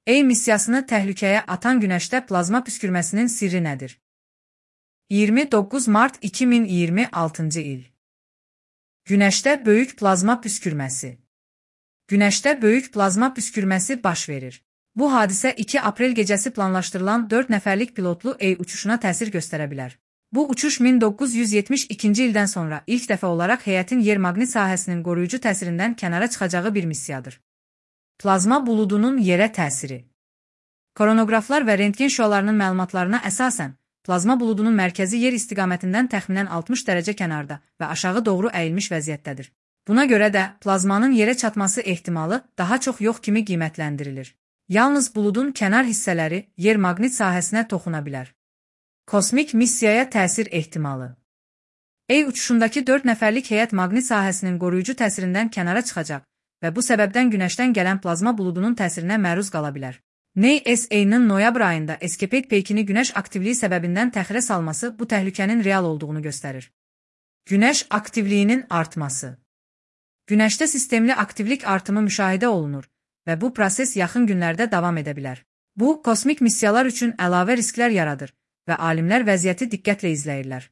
Ey missiyasını təhlükəyə atan Günəşdə plazma püskürməsinin sirri nədir? 29 Mart 2026 il. Günəşdə böyük plazma püskürməsi. Günəşdə böyük plazma püskürməsi baş verir. Bu hadisə 2 aprel gecəsi planlaşdırılan 4 nəfərlik pilotlu Ey uçuşuna təsir göstərə bilər. Bu uçuş 1972-ci ildən sonra ilk dəfə olaraq heyətin yer maqnit sahəsinin qoruyucu təsirindən kənara çıxacağı bir missiyadır. Plazma buludunun yerə təsiri. Koronoqraflar və rentgen şüalarının məlumatlarına əsasən, plazma buludunun mərkəzi yer istiqamətindən təxminən 60 dərəcə kənarda və aşağı doğru əyilmiş vəziyyətdədir. Buna görə də plazmanın yerə çatması ehtimalı daha çox yox kimi qiymətləndirilir. Yalnız buludun kənar hissələri yer maqnit sahəsinə toxuna bilər. Kosmik missiyaya təsir ehtimalı. Ey uçuşundakı 4 nəfərlik heyət maqnit sahəsinin qoruyucu təsirindən kənara çıxacaq və bu səbəbdən Günəşdən gələn plazma buludunun təsirinə məruz qala bilər. NASA-nın noyabr ayında Escapade peykini Günəş aktivliyi səbəbindən təxirə salması bu təhlükənin real olduğunu göstərir. Günəş aktivliyinin artması. Günəşdə sistemli aktivlik artımı müşahidə olunur və bu proses yaxın günlərdə davam edə bilər. Bu, kosmik missiyalar üçün əlavə risklər yaradır və alimlər vəziyyəti diqqətlə izləyirlər.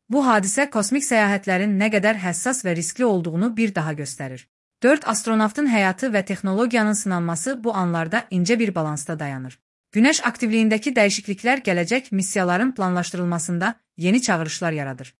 Bu hadisə kosmik səyahətlərin nə qədər həssas və riskli olduğunu bir daha göstərir. 4 astronavtın həyatı və texnologiyanın sınanması bu anlarda incə bir balansda dayanır. Günəş aktivliyindəki dəyişikliklər gələcək missiyaların planlaşdırılmasında yeni çağırışlar yaradır.